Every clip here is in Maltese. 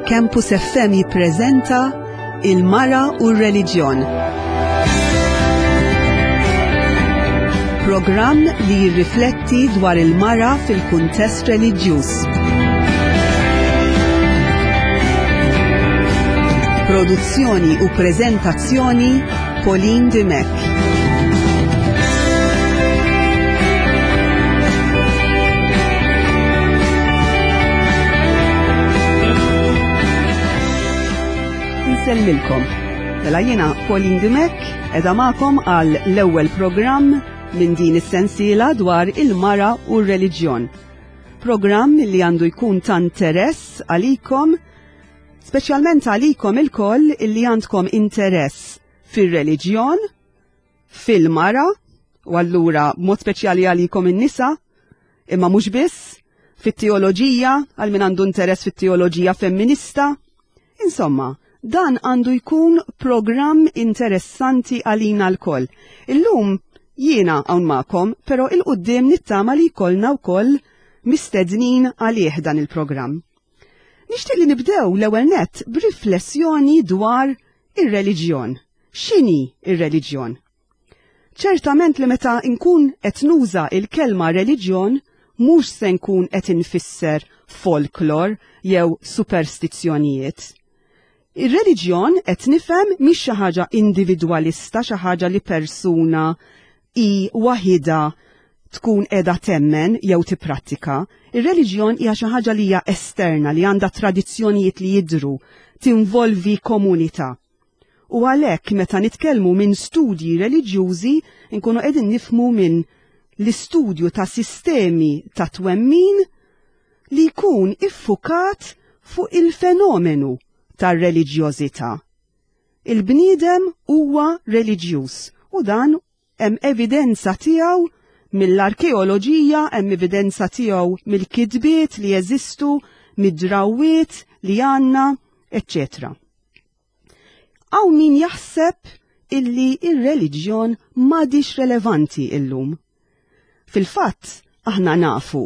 Campus FM jippreżenta Il-Mara u r-Reliġjon. Programm li jirrifletti dwar il-mara fil-kuntest reliġjuż. Produzzjoni u preżentazzjoni Pauline Dimech. Nsellmilkom. Mela jiena Pauline Dimech edha magħkom għal l-ewwel programm minn din is-sensiela dwar il-mara u r-reliġjon. Programm li għandu jkun ta' interess għalikom, speċjalment għalikom ilkoll illi għandkom interess fir-reliġjon, fil-mara, u allura mod speċjali għalikom in-nisa, imma mhux biss, fit-teoloġija, għal min għandu interess fit-teoloġija femminista. Insomma, dan għandu jkun programm interessanti għalina lkoll. Illum jiena hawn magħkom, però il-qudiem nittama li jkollna wkoll mistednin għalih dan il-programm. Nixtieq li nibdew l-ewwel nett b'riflessjoni dwar ir-reliġjon. X'inhi ir-reliġjon? Ċertament li meta nkun qed nuża il-kelma reliġjon mhux se nkun qed infisser folklor jew superstizzjonijiet. Ir-reliġjon qed nifhem mhix xi ħaġa individwalista, xi ħaġa li persuna hi waħidha tkun qiegħda temmen jew tipprattika. Ir-reliġjon hija xi ħaġa li hija esterna, li għandha tradizzjonijiet li jidhru, tinvolvi komunità. U għalhekk meta nitkellmu minn studji reliġjużi nkunu qegħdin nifhmu minn l-istudju ta' sistemi ta' twemmin li jkun iffukat fuq il-fenomenu tar-reliġjożità. Il-bniedem huwa reliġjuż u dan hemm evidenza tiegħu mill-arkeoloġija, hemm evidenza tiegħu mill-kitbiet li jeżistu, mid-drawwiet li għandna, eċċetera. Hawn min jaħseb illi ir-reliġjon m'għadix relevanti illum. Fil-fatt, aħna nafu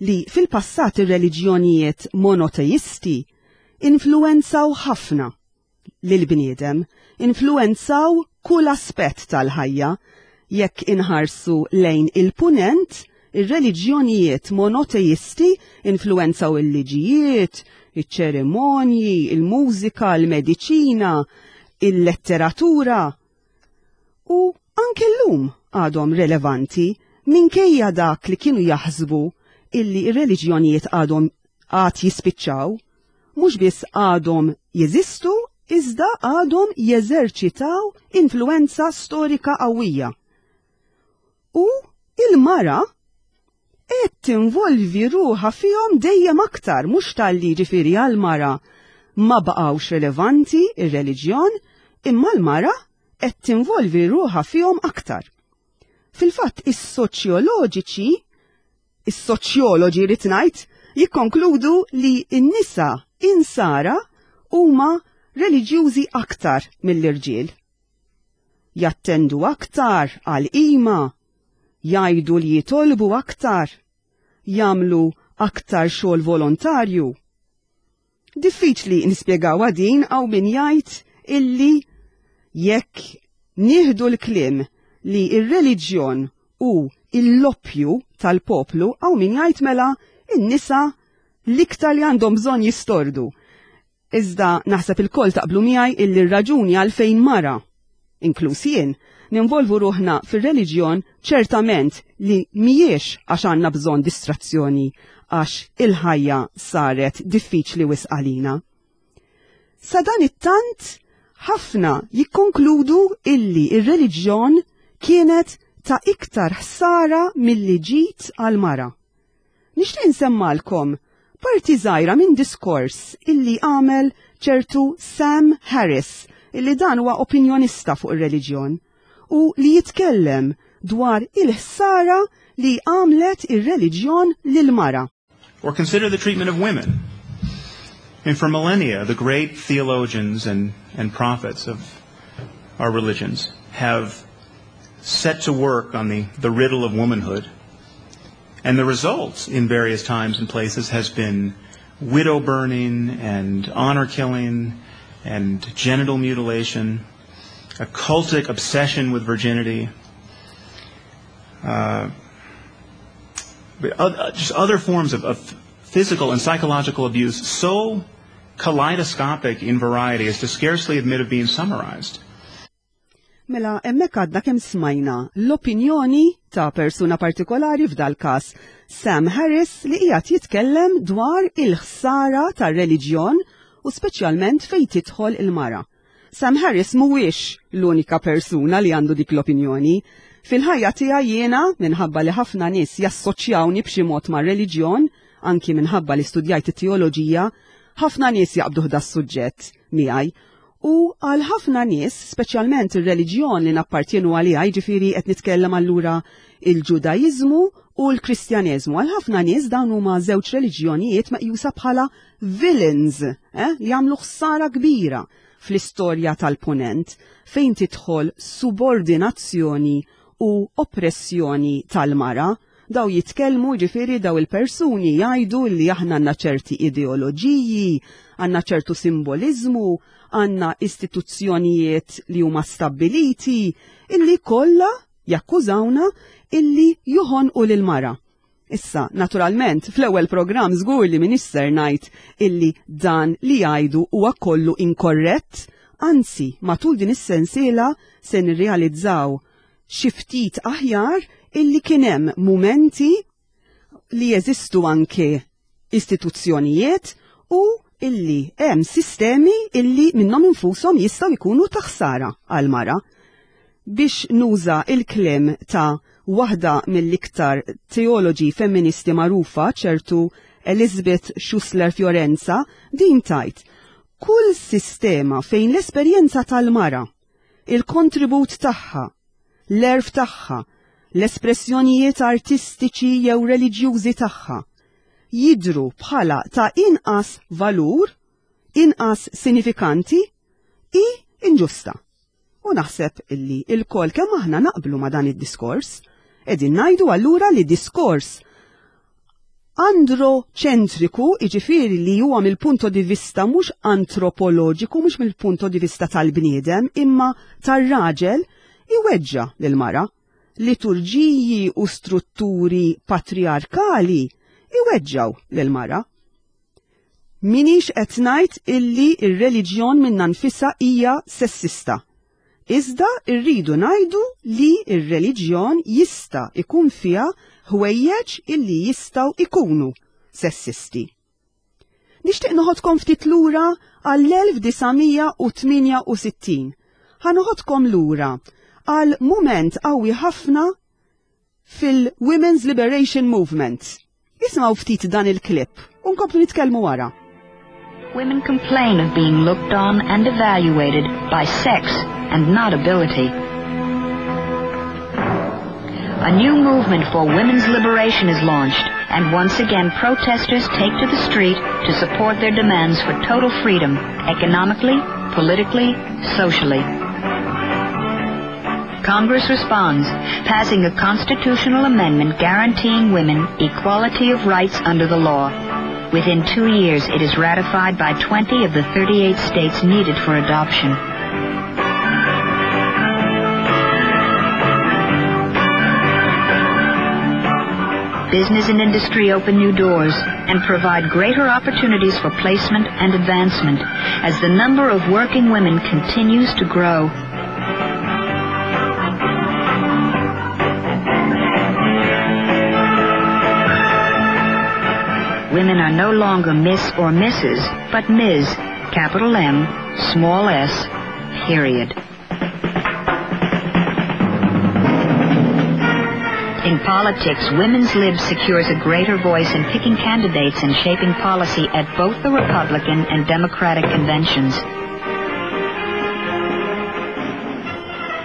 li fil-passat ir-reliġjonijiet monoteisti influwenzaw ħafna lill-bniedem, influwenzaw kull aspett tal-ħajja. Jekk inħarsu lejn il-Punent, ir-reliġjonijiet monoteisti influwenzaw il-liġijiet, iċ-ċerimonji, il-mużika, il-mediċina, il-letteratura. U anke llum għadhom relevanti minkejja dak li kienu jaħsbu illi r-reliġjonijiet għadhom għad jispiċċaw. Mhux biss għadhom jeżistu iżda għadhom jeżerċitaw influwenza storika qawwija. U il-mara qed tinvolvi ruħha fihom dejjem aktar, mhux talli ġifieri għall-mara ma baqgħux relevanti ir-reliġjon, imma l-mara qed tinvolvi ruħha fihom aktar. Fil-fatt is-soċjoloġiċi Is-soċjoloġi rrid ngħid jikkonkludu li n-nisa insara huma reliġjużi aktar mill-irġiel. Jattendu aktar għal qima, jgħidu li jitolbu aktar, jagħmlu aktar xogħol volontarju. Diffiċli nispjegawha din hawn min jgħid illi jekk nieħdu l-kliem li r-reliġjon hu l-loppju tal-poplu hawn min jgħid mela n-nisa l-iktar li għandhom bżonn jistordu. Iżda naħseb ilkoll taqblu miegħi illi r-raġuni għalfejn mara inkluż jien, ninvolvu ruħna fir-reliġjon ċertament li mhijiex għax għandna bżonn distrazzjoni għax il-ħajja saret diffiċli wisq għalina. Sadanittant ħafna jikkonkludu illi ir-reliġjon kienet ta' iktar ħsara milli ġid għall-mara. Nixtieq insemmgħalkom parti żgħira minn diskors illi għamel ċertu Sam Harris, illi dan huwa opinjonista fuq ir-reliġjon, u li jitkellem dwar il-ħsara li għamlet ir-reliġjon lill-mara. Or consider the treatment of women. And for millennia, the great theologians and, and prophets of our religions have set to work on the, the riddle of womanhood. And the result in various times and places has been widow burning and honor killing and genital mutilation, a cultic obsession with virginity, just other forms of physical and psychological abuse so kaleidoscopic in variety as to scarcely admit of being summarized. Mela, hemmhekk għadna kemm smajna l-opinjoni ta' persuna partikolari f'dal-każ, Sam Harris, li qiegħed jitkellem dwar il-ħsara tar-reliġjon u speċjalment fejn tidħol il-mara. Sam Harris mhuwiex l-unika persuna li għandu dik l-opinjoni. Fil-ħajja tiegħi jiena, minħabba li ħafna nies jassoċjawni b'xi mod mar-reliġjon, anki minħabba li studjajt it-teoloġija, ħafna nies jaqbduh das-suġġett miegħi. U għal ħafna nies, speċjalment ir-reliġjon li nappartjenu għaliha, jiġifieri qed nitkellem allura il-Ġudaiżmu u l-Kristjaneżmu, għal ħafna nies dawn huma żewġ reliġjonijiet meqjusa bħala villains, li jagħmlu ħsara kbira fl-istorja tal-Punent fejn tidħol subordinazzjoni u oppressjoni tal-mara. Daw jitkellmu, ġifieri daw il-persuni jgħidu li aħna għandna ċerti ideoloġiji, għandna ċertu simboliżmu, għandna istituzzjonijiet li huma stabbiliti, illi kollha jakkużawna illi joħonqu lil mara. Issa, naturalment, fl-ewwel programm żgur li m'iniex ser ngħid illi dan li jgħidu huwa kollu inkorrett, anzi, matul din is-sensiela se nirrealizzaw xi ftit aħjar illi kien hemm mumenti li jeżistu anke istituzzjonijiet u illi hemm sistemi illi minnhom infushom jistgħu jkunu ta' ħsara għall-mara. Biex nuża il-kliem ta' waħda mill-iktar teoloġi femministi magħrufa, ċertu Elizabeth Schussler Fiorenza, din tgħid: kull sistema fejn l-esperjenza tal-mara, il-kontribut tagħha, l-għerf tagħha, l-espressjonijiet artistiċi jew reliġjużi tagħha jidhru bħala ta' inqas valur, inqas sinifikanti, hi inġusta. U naħseb illi lkoll kemm aħna naqblu ma' dan id-diskors. Qegħdin ngħidu allura li diskors androċentriku, jiġifieri li huwa mill-punto di vista mhux antropoloġiku, mhux mill-punto di vista tal-bniedem, imma tar-raġel, iweġġa' lill-mara. Liturġiji u strutturi patriarkali iweġġgħu lill-mara. M'iniex qed ngħid illi r-reliġjon minnha nfisha hija sessista. Iżda rridu ngħidu li r-reliġjon jista' jkun fiha ħwejjeġ illi jistgħu jkunu sessisti. Nixtieq noħodkom ftit lura għall-1968. Ħa noħodkom lura għal mument qawwi ħafna fil-Women's Liberation Movement. Isimgħu ftit dan il-clip u nkomplu nitkellmu wara. Women complain of being looked on and evaluated by sex and not ability. A new movement for women's liberation is launched, and once again protesters take to the street to support their demands for total freedom, economically, politically, socially. Congress responds, passing a constitutional amendment guaranteeing women equality of rights under the law. Within 2 years, it is ratified by 20 of the 38 states needed for adoption. Business and industry open new doors and provide greater opportunities for placement and advancement as the number of working women continues to grow. Women are no longer Miss or Mrs., but Ms., capital M, small s, period. In politics, Women's Lib secures a greater voice in picking candidates and shaping policy at both the Republican and Democratic conventions.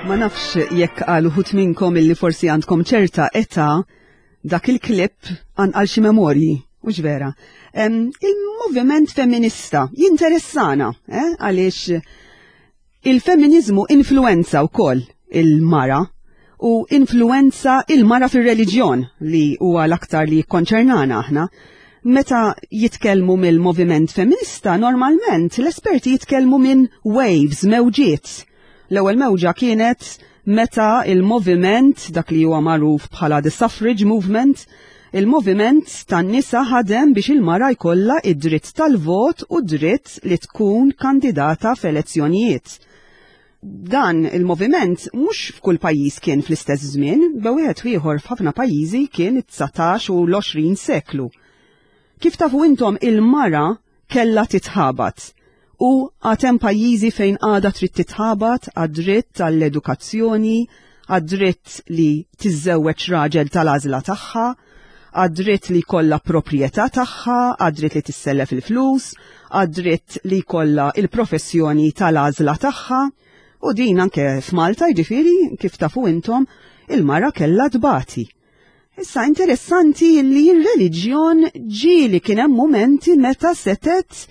Ma nafx jekk għal uħud minnkom illi forsi għandkom ċerta età dak il-klip għanqal xi memorji, hux vera. Il-moviment femminista jinteressana, għaliex il-femminizmu influenza wkoll il-mara u influenza il-mara fir-reliġjon li huwa l-aktar li jikkonċernana aħna. Meta jitkellmu mill-moviment femminista, normalment l-esperti jitkellmu minn waves, mewġiet. L-ewwel mewġa kienet meta il-moviment, dak li huwa magħruf bħala the suffrage movement, il-moviment tan-nisa ħadem biex il-mara jkollha id-dritt tal-vot u dritt li tkun kandidata f'elezzjonijiet. Dan il-moviment mhux f'kull pajjiż kien fl-istess żmien, be wieħed ieħor f'ħafna pajjiżi kien it-19 u l-20 seklu. Kif tafu intom il-mara kellha titħabat u għad hemm pajjiżi fejn għadha trid titħabat għad-dritt għall-edukazzjoni, għad-dritt li tiżżewweġ raġel tal-għażla tagħha, għad-dritt li jkollha proprjetà tagħha, għad-dritt li tissellef il-flus, għad-dritt li jkollha il-professjoni tal-għażla tagħha. U din anke f'Malta jiġifieri kif tafu intom il-mara kellha tbati. Issa interessanti li r-reliġjon ġieli kien hemm mumenti meta setet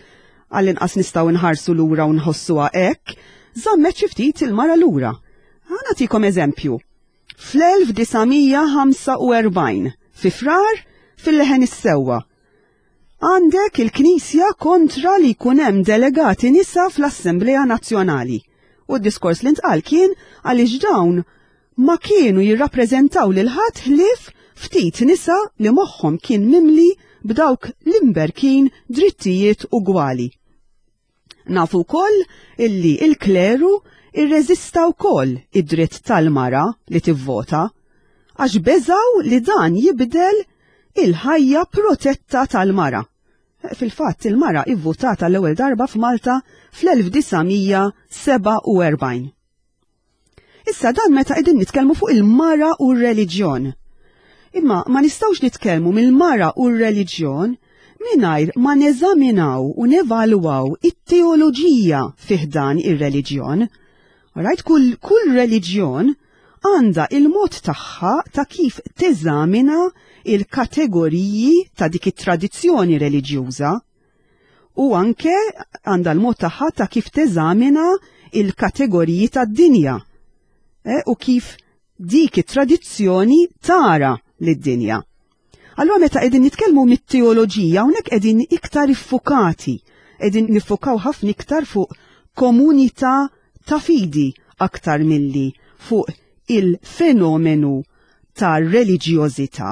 għall-inqas nistgħu nħarsu lura u nħossuha hekk, żammet xi ftit il-mara lura. Ħa nagħtikom eżempju. Fl-1945, fi Frar, fil-Leħen is-Sewwa, għandek il-Knisja kontra li jkun hemm delegati nisa fl-Assemblea Nazzjonali. U d-diskors li ntqal kien għaliex dawn ma kienu jirrappreżentaw lil ħadd ħlief ftit nisa li moħħhom kien mimli b'dawk l-imberkin drittijiet ugwali. Nafu wkoll illi il-kleru irreżista wkoll id-dritt tal-mara li tivvota għax beżaw li dan jibdel il-ħajja protetta tal-mara. Fil-fatt il-mara ivvutat għall-ewwel darba f'Malta fl-1947. Issa dan meta qegħdin nitkellmu fuq il-mara u r-reliġjon. Imma ma nistgħux nitkellmu mill-mara u r-reliġjon mingħajr ma neżaminaw u nevalwaw it-teoloġija fih dan ir-reliġjon. Right? Kull, kull reliġjon għandha il-mod tagħha ta' kif teżamina il-kategoriji ta' dik it-tradizzjoni reliġjuża u anke għandha l-mod tagħha ta' kif teżamina il-kategoriji tad-dinja e, u kif dik it-tradizzjoni tara lid-dinja. Allura meta qegħdin nitkellmu mit-teoloġija hawnhekk qegħdin iktar iffukati, qegħdin niffukaw ħafna iktar fuq komunità ta' fidi aktar milli fuq il-fenomenu ta' reliġjożità.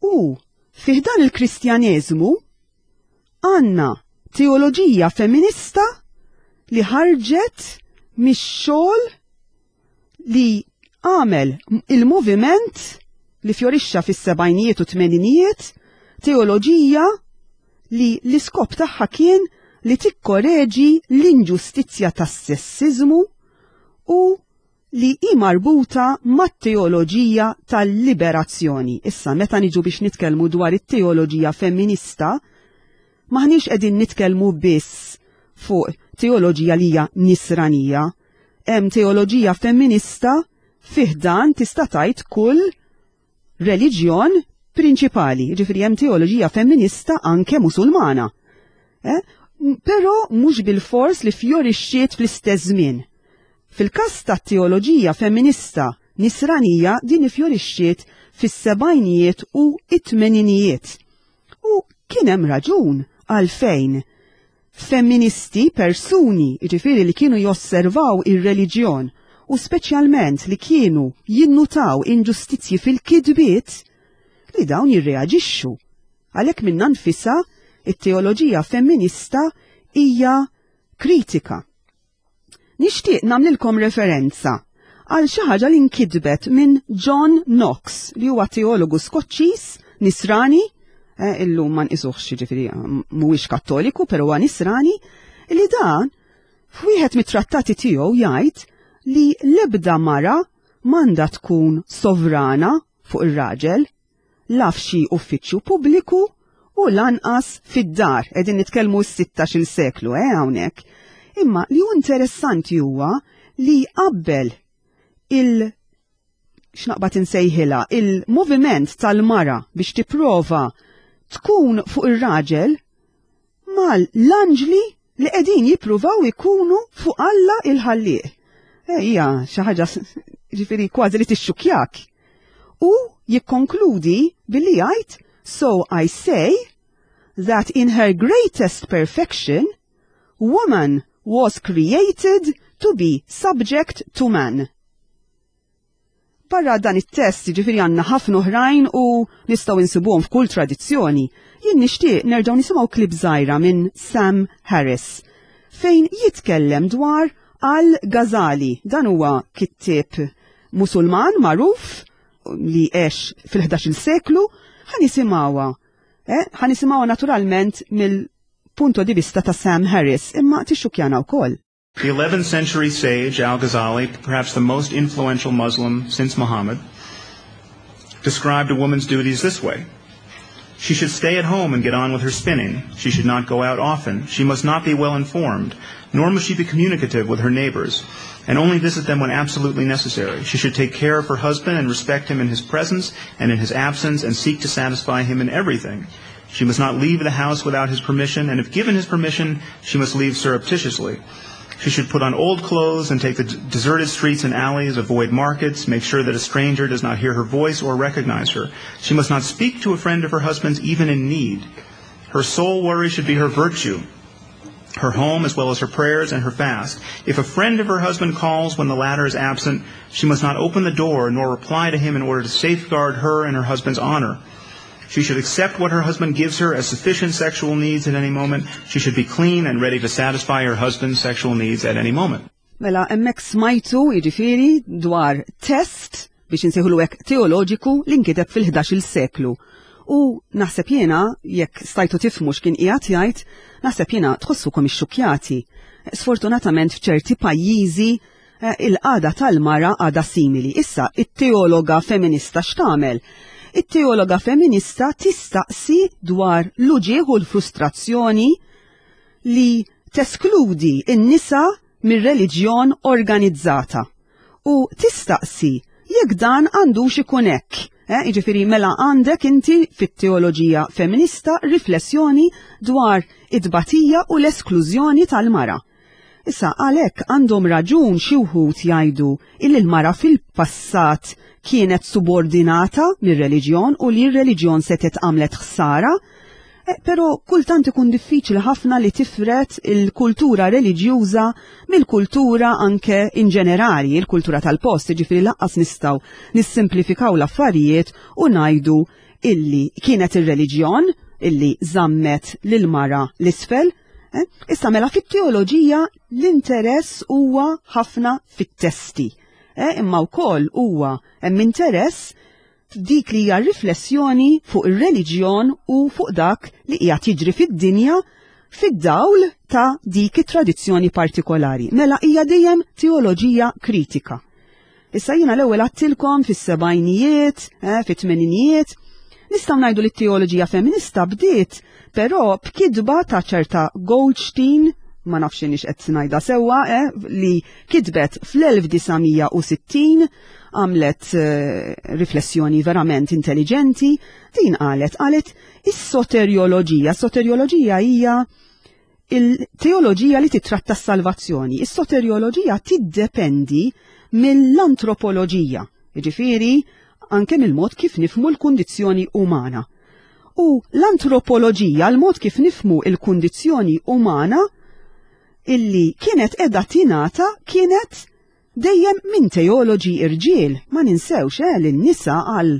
U fi ħdan il-Kristjaneżmu għandna teoloġija femminista li ħarġet mix-xogħol li għamel il-moviment li fjorixxa fis-sebgħinijiet u tmeninijiet, teoloġija li l-iskop tagħha kien li tikkoreġi l-inġustizzja tas-sessiżmu u li hi marbuta mat-teoloġija tal-liberazzjoni. Issa, meta niġu biex nitkellmu dwar it-teoloġija femminista, m'aħniex qegħdin nitkellmu biss fuq teoloġija li hija nisranija. Hemm teoloġija femminista fih dan tista' tgħid kull reliġjon prinċipali, ġifieri hemm teoloġija femminista anke Musulmana. Eh? Però mhux bil-fors li fjorixxiet fl-istess żmien. Fil-każ tat-teoloġija femminista nisranija din ifjorixxiet fis-sebgħinijiet u t-tmeninijiet. U kien hemm raġun għalfejn femministi, persuni, jiġifieri li kienu josservaw ir-reliġjon u speċjalment li kienu jinnutaw inġustizzji fil-kitbiet, li dawn jirreaġixxu. Għalhekk minnha nfisha it-teoloġija femminista hija kritika. Nixtieq nagħmlilkom referenza għal xi ħaġa li nkitbet minn John Knox li huwa teologu Skoċċiż nisrani, eh, illum ma nqisuhx jiġifieri mhuwiex Kattoliku, però huwa nisrani, li dan f'wieħed mit-trattati tiegħu jgħid li l-ebda mara m'għandha tkun sovrana fuq ir-raġel, la f'xi uffiċċju pubbliku u lanqas fid-dar. Qegħdin nitkellmu s-16-il seklu, eh, hawnhekk. Imma li hu interessanti huwa li jqabbel il x'naqbad insejħilha il-moviment tal-mara biex tipprova tkun fuq ir-raġel mal-anġli li qegħdin jippruvaw ikunu fuq Alla il-ħallieq. Eh, hija xi ħaġa ġifieri kważi li tixxukjak. U jikkonkludi billi jgħid so I say. that in her greatest perfection, woman was created to be subject to man. Barra dan it-test, jiġifieri għandna ħafna oħrajn u nistgħu insibuhom f'kull tradizzjoni. Jien nixtieq nerġgħu nisimgħu klip żgħira minn Sam Harris fejn jitkellem dwar Al-Ghazali. Dan huwa kittieb Musulman magħruf li għex fil-11 seklu, ħa nisimgħuha. Eh, ħa nisimgħuha naturalment mill-punto di vista ta' Sam Harris, imma tixxukjana wkoll. The 11th century sage Al-Ghazali, perhaps the most influential Muslim since Muhammad, described a woman's duties this way. She should stay at home and get on with her spinning. She should not go out often. She must not be well informed, nor must she be communicative with her neighbors, and only visit them when absolutely necessary. She should take care of her husband and respect him in his presence and in his absence and seek to satisfy him in everything. She must not leave the house without his permission, and if given his permission, she must leave surreptitiously. She should put on old clothes and take the deserted streets and alleys, avoid markets, make sure that a stranger does not hear her voice or recognize her. She must not speak to a friend of her husband's even in need. Her sole worry should be her virtue, her home as well as her prayers and her fast. If a friend of her husband calls when the latter is absent, she must not open the door nor reply to him in order to safeguard her and her husband's honor. She should accept what her husband gives her as sufficient sexual needs at any moment. She should be clean and ready to satisfy her husband's sexual needs at any moment. Mela, hemmhekk smajtu, jiġifieri, dwar test biex insejħulu hekk teoloġiku li nkiteb fil-11-il seklu. U naħseb jiena, jekk stajtu tifhmu x'kien qiegħed jgħid, naħseb jiena tħossukom ixxukkjati. Sfortunatament f'ċerti pajjiżi eh, il-qagħda tal-mara għadha simili. Issa, it-teologa feminista x'tagħmel? It-teologa feminista tistaqsi dwar l-uġigħ u l-frustrazzjoni li teskludi n-nisa mir-reliġjon organizzata u tistaqsi jekk dan għandux ikun hekk. Eh, jiġifieri mela għandek inti fit-teoloġija feminista riflessjoni dwar it-tbatija u l-esklużjoni tal-mara. Issa għalhekk għandhom raġun xi wħud jgħidu illi l-mara fil-passat kienet subordinata mir-reliġjon u li r-reliġjon setgħet għamlet ħsara, eh, però kultant ikun diffiċli ħafna li tifret il-kultura reliġjuża mill-kultura anke in ġenerali, il-kultura tal-post, jiġifieri lanqas nistgħu nissimplifikaw l-affarijiet u ngħidu illi kienet ir-reliġjon illi żammet lill-mara l-isfel. Eh? Issa mela fit-teoloġija l-interess huwa ħafna fit-testi. Eh? Imma wkoll huwa hemm interess f'dik li hija riflessjoni fuq ir-reliġjon u fuq dak li qiegħed jiġri fid-dinja fid-dawl ta' dik it-tradizzjoni partikolari. Mela hija dejjem teoloġija kritika. Issa jiena l-ewwel għattilkom fis-sebgħinijiet, eh, fit-tmeninijiet, nistgħu ngħidu li t-teoloġija feminista bdiet però b'kitba ta' ċerta Goldstein, ma nafx inix qed ngħidha sewwa, eh, li kitbet fl-1960 għamlet eh, riflessjoni verament intelligenti, din qalet qalet is-soterioloġija. Soterioloġija hija il-teoloġija li titratta s-salvazzjoni. Is-soterioloġija tiddependi mill-antropoloġija, jiġifieri anke mill-mod kif nifhmu l-kundizzjoni umana. U l-antropoloġija, l-mod kif nifhmu l-kundizzjoni umana, illi kienet qiegħda tingħata kienet dejjem minn teoloġi irġiel, ma ninsewx eh, li n-nisa għal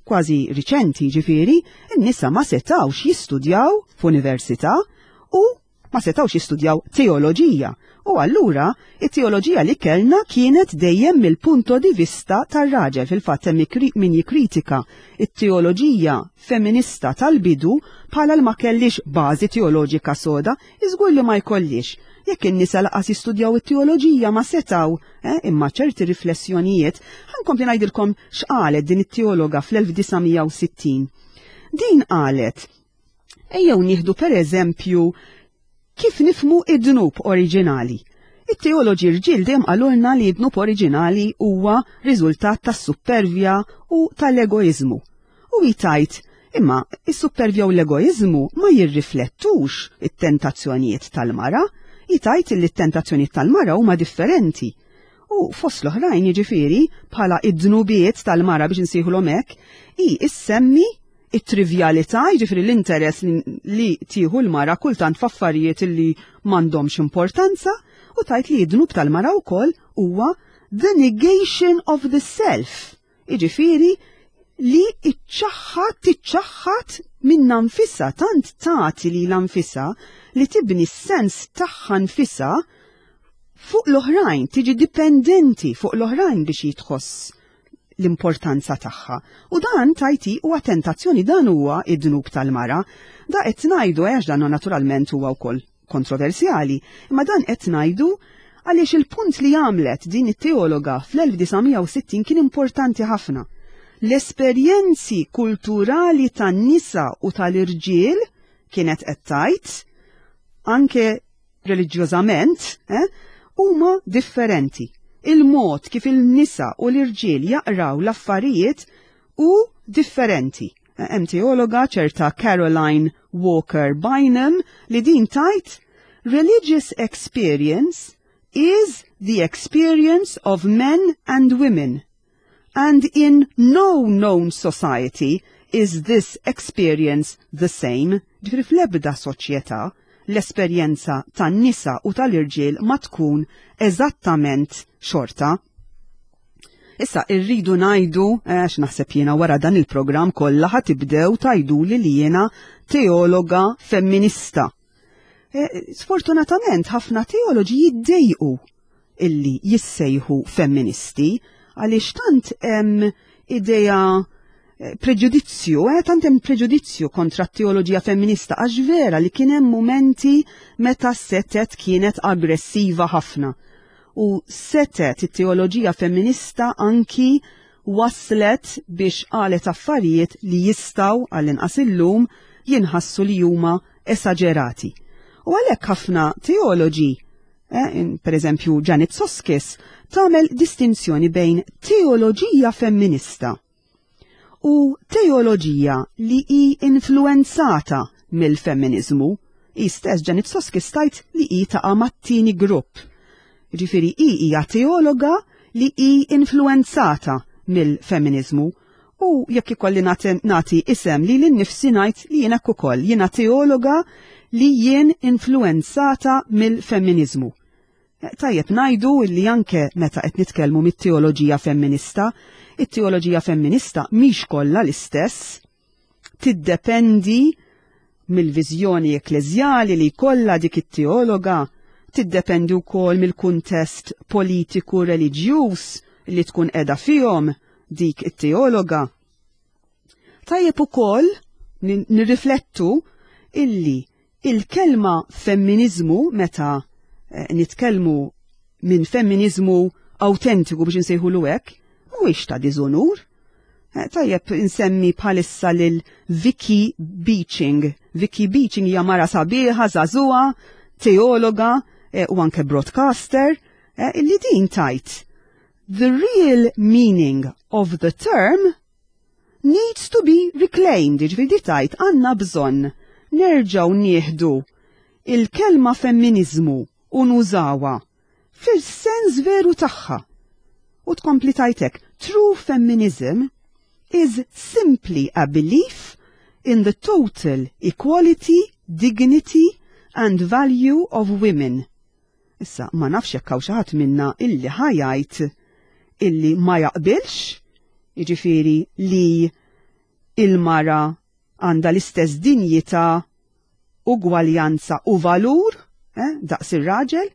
kważi riċenti ġifieri, n-nisa ma setawx jistudjaw f'università u ma setawx jistudjaw teoloġija. U allura it-teoloġija li kellna kienet dejjem mill-punto di vista tar-raġel. Fil-fatt hemm min jikkritika it-teoloġija feminista tal-bidu bħala l ma kellix bażi teoloġika soda, iżgur li ma jkollix. Jekk in-nisa laqas jistudjaw it-teoloġija ma setgħu, eh, imma ċerti riflessjonijiet, ħa nkompli ngħidilkom x'qalet din it-teologa fl-1960. Din qalet, ejjew nieħdu per eżempju kif nifhmu id-dnub oriġinali. It-teoloġi rġiel dejjem qalulna li d-dnub oriġinali huwa riżultat tas-suppervja u tal-egoiżmu. U hi tgħid, imma is-suppervja u l-egoiżmu ma jirriflettux it-tentazzjonijiet tal-mara, hi tgħid li t-tentazzjonijiet tal-mara huma differenti. U fost l-oħrajn jiġifieri bħala id-dnubiet tal-mara biex insejħulhom hekk, hi issemmi. it-trivjalità, jiġifieri l-interess li tieħu l-mara kultant f'affarijiet li m'għandhomx importanza, u tgħid li d-dnub tal-mara wkoll huwa the negation of the self, jiġifieri li iċċaħħad tiċċaħħad minnha nfisha, tant tagħti lilha nfisha li tibni s-sens tagħha nfisha fuq l-oħrajn, tiġi dipendenti fuq l-oħrajn biex jitħoss l-importanza tagħha. U dan tajti huwa tentazzjoni, dan huwa id-dnub tal-mara. Da qed ngħidu għax dan naturalment huwa wkoll kontroversjali, imma dan qed ngħidu għaliex il-punt li għamlet din it-teologa fl-1960 kien importanti ħafna. L-esperjenzi kulturali tan-nisa u tal-irġiel kienet qed tgħid anke reliġjożament, eh, huma differenti. Il-mod kif il-nisa u l-irġiel jaqraw l-affarijiet hu differenti. Eh, hemm teologa ċerta Caroline Walker Bynum li din tgħid religious experience is the experience of men and women. And in no known society is this experience the same. Ġifieri fl-ebda soċjetà l-esperjenza tan-nisa u tal-irġiel ma tkun eżattament xorta. Issa irridu ngħidu, eh, għax naħseb jiena wara dan il-programm kollha ħa tibdew tgħiduli li jiena teologa femminista. Eh, sfortunatament ħafna teoloġi jiddejqu illi jissejħu femministi għaliex tant hemm idea eh, preġudizzju, eh, tant hemm preġudizzju kontra t-teoloġija femminista għax vera li kien hemm mumenti meta setet kienet aggressiva ħafna. U setet it-teoloġija femminista anki waslet biex qalet affarijiet li jistgħu għall-inqas illum jinħassu li huma esaġerati. U għalhekk ħafna teoloġi, eh, per eżempju Janet Soskice, tagħmel distinzjoni bejn teoloġija femminista u teoloġija li hi influenzata mill-femminizmu. Hi stess Janet Soskice tgħid li hi taqa' mat-tieni grupp. Ġifieri hi hija teologa li hi influenzata mill-femminizmu U jekk ikolli nagħti isem li lil nifsi ngħid li jien hekk ukoll, jiena teologa li jien influenzata mill-femminizmu. Eh, tajjeb ngħidu li anke meta qed nitkellmu mit-teoloġija femminista, it-teoloġija femminista mhix kollha l-istess, tiddependi mill-viżjoni ekkleżjali li jkollha dik it-teologa, tiddependi wkoll mill-kuntest politiku reliġjuż li tkun qiegħda fihom dik it-teologa. Tajjeb ukoll nirriflettu illi il-kelma femminizmu meta eh, nitkellmu minn femminizmu awtentiku biex insejħulu hekk, mhuwiex ta' diżonur. Eh, tajjeb insemmi bħalissa lil Vicky Beeching. Vicky Beeching hija mara sabiħa, żagħżugħa, teologa eh, u anke broadcaster, illi din tajt The real meaning of the term needs to be reclaimed, ġifieri tgħid għandna bżonn nerġgħu nieħdu il-kelma femminizmu u nużawha fil-sens veru tagħha. U tkompli tgħidlek, true feminism is simply a belief in the total equality, dignity and value of women. Issa, ma nafx jekk hawn xi ħadd minna illi ħa jgħid illi ma jaqbilx, jiġifieri li il-mara għandha l-istess dinjità, ugwaljanza u valur, eh, daqs ir-raġel,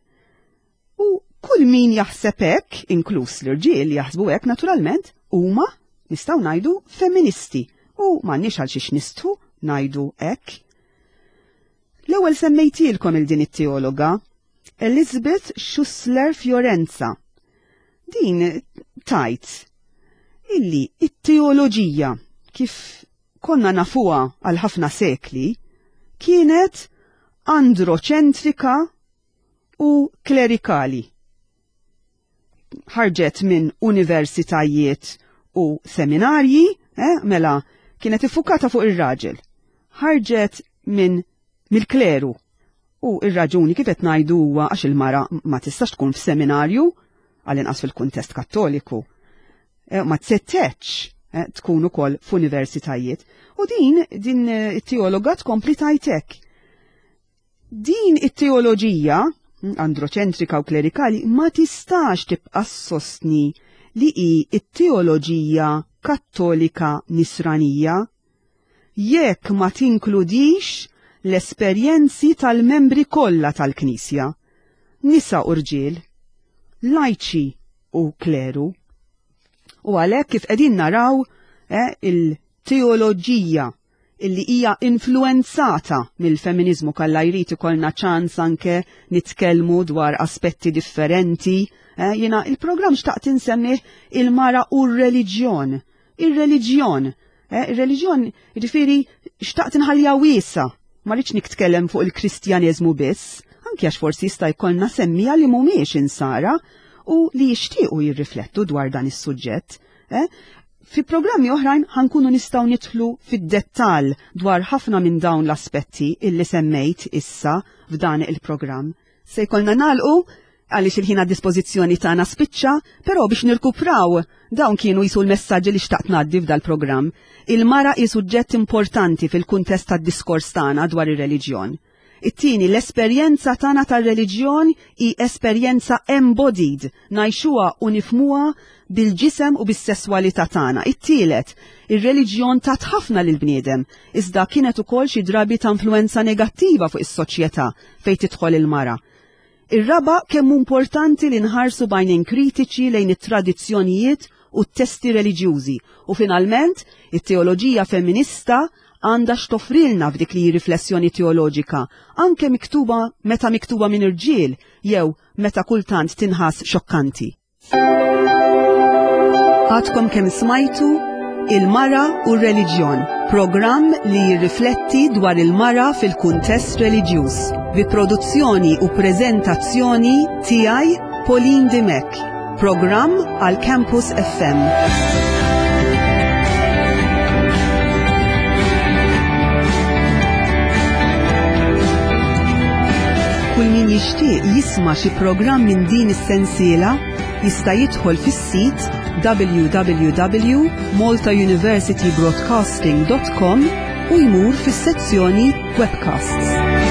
u kull min jaħseb hekk, inkluż l-irġiel jaħsbu hekk naturalment, huma nistgħu ngħidu femministi u m'għandniex għal xiex nistħu ngħidu hekk. L-ewwel semmejtilkom il din it-teologa, Elizabeth Schussler Fiorenza. Din tgħid illi it-teoloġija kif konna nafuha għal ħafna sekli kienet androċentrika u klerikali. Ħarġet minn universitajiet u seminarji, eh, mela kienet iffukata fuq ir-raġel. Ħarġet minn mill-kleru. U ir-raġuni kif qed ngħidu huwa għax il-mara ma tistax tkun f'seminarju għall-inqas fil-kuntest kattoliku. Eh, ma tsetteċ. eh, tkun ukoll f'universitajiet. U din din eh, it-teologa tkompli tajtek. Din it-teoloġija hm, androċentrika u klerikali ma tistax tibqa' sostni li hi it-teoloġija kattolika nisranija jekk ma tinkludix l-esperjenzi tal-membri kollha tal-Knisja, nisa u rġiel, lajċi u kleru. U għalhekk kif qegħdin naraw eh, il-teoloġija illi hija influenzata mill-feminiżmu kalla jrid ikollna ċans anke nitkellmu dwar aspetti differenti. Eh, jiena il-programm xtaqt insemmih il-mara u r-reliġjon. Ir-reliġjon. Eh, ir-reliġjon, jiġifieri xtaqt inħallija wiesa. Ma rridx nitkellem fuq il-Kristjaneżmu biss, anke għax forsi jista' jkollna semmija li mhumiex insara u li jixtiequ jirriflettu dwar dan is-suġġett. Eh? Fi programmi oħrajn ħankunu nistgħu nidħlu fid-dettall dwar ħafna minn dawn l-aspetti illi semmejt issa f'dan il-programm. Se jkollna nagħlqu għaliex il-ħin għad dispożizzjoni tagħna spiċċa, però biex nirkupraw dawn kienu jisu l-messaġġi li xtaqt ngħaddi f'dal-programm. Il-mara hi suġġett importanti fil-kuntest tad-diskors tagħna dwar ir-reliġjon. It-tieni, l-esperjenza tagħna tar-reliġjon hi esperjenza embodied, ngħixuha u nifhmuha bil-ġisem u bis-sesswalità tagħna. It-tielet, ir-reliġjon tat ħafna lill-bniedem, iżda kienet ukoll xi drabi ta' influenza negattiva fuq is-soċjetà fejn tidħol il-mara. Ir-raba' kemm hu importanti li nħarsu b'għajnejn kritiċi lejn it-tradizzjonijiet u t-testi reliġjużi u finalment, it-teoloġija femminista għandha x'toffrilna f'dik li hi riflessjoni teoloġika, anke miktuba meta miktuba minn irġiel jew meta kultant tinħass xokkanti. Għadkom kemm smajtu Il-Mara u r-Reliġjon, programm li jirrifletti dwar il-mara fil-kuntest reliġjuż, bi produzzjoni u preżentazzjoni tiegħi Pauline Dimech, programm għal Campus FM. Kull min jixtieq jisma' xi programm minn din is-sensiela jista' jidħol fis-sit www.maltauniversitybroadcasting.com u jmur fis-sezzjoni Webcasts.